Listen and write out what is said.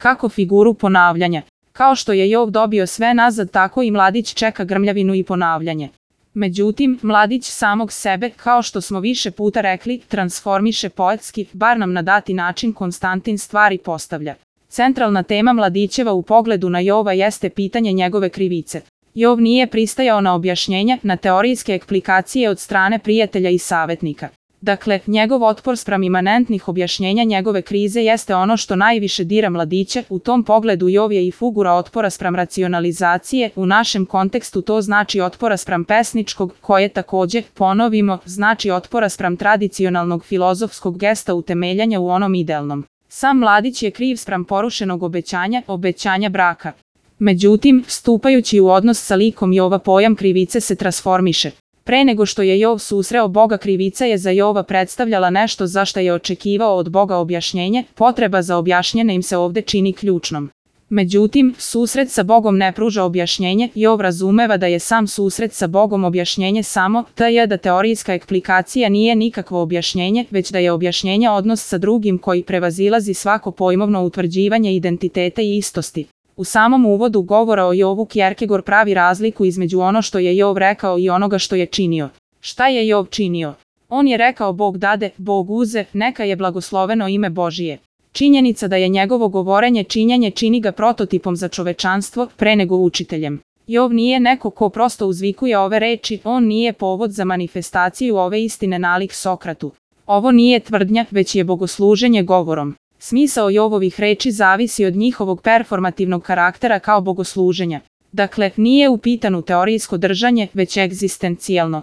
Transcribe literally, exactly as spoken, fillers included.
kako figuru ponavljanja. Kao što je Jov dobio sve nazad, tako i mladić čeka grmljavinu i ponavljanje. Međutim, mladić samog sebe, kao što smo više puta rekli, transformiše poetski, bar nam na dati način Konstantin stvari postavlja. Centralna tema mladićeva u pogledu na Jova jeste pitanje njegove krivice. Jov nije pristajao na objašnjenja, na teorijske eksplikacije od strane prijatelja i savetnika. Dakle, njegov otpor spram imanentnih objašnjenja njegove krize jeste ono što najviše dira mladiće. U tom pogledu Jov je i figura otpora spram racionalizacije, u našem kontekstu to znači otpora spram pesničkog, koje takođe, ponovimo, znači otpora spram tradicionalnog filozofskog gesta utemeljanja u onom idealnom. Sam mladić je kriv spram porušenog obećanja, obećanja braka. Međutim, stupajući u odnos sa likom Jova, pojam krivice se transformiše. Pre nego što je Jov susreo Boga, krivica je za Jova predstavljala nešto za šta je očekivao od Boga objašnjenje, potreba za objašnjenje im se ovde čini ključnom. Međutim, susret sa Bogom ne pruža objašnjenje. Jov razumeva da je sam susret sa Bogom objašnjenje samo, te je da teorijska eksplikacija nije nikakvo objašnjenje, već da je objašnjenje odnos sa drugim koji prevazilazi svako pojmovno utvrđivanje identiteta i istosti. U samom uvodu govora o Jovu Kierkegaard pravi razliku između ono što je Jov rekao i onoga što je činio. Šta je Jov činio? On je rekao Bog dade, Bog uze, neka je blagosloveno ime Božije. Činjenica da je njegovo govorenje činjenje čini ga prototipom za čovečanstvo, pre nego učiteljem. Jov nije neko ko prosto uzvikuje ove reči, on nije povod za manifestaciju ove istine nalik Sokratu. Ovo nije tvrdnja, već je bogosluženje govorom. Smisao Jovovih reči zavisi od njihovog performativnog karaktera kao bogosluženja. Dakle, nije u pitanu teorijsko držanje, već egzistencijalno.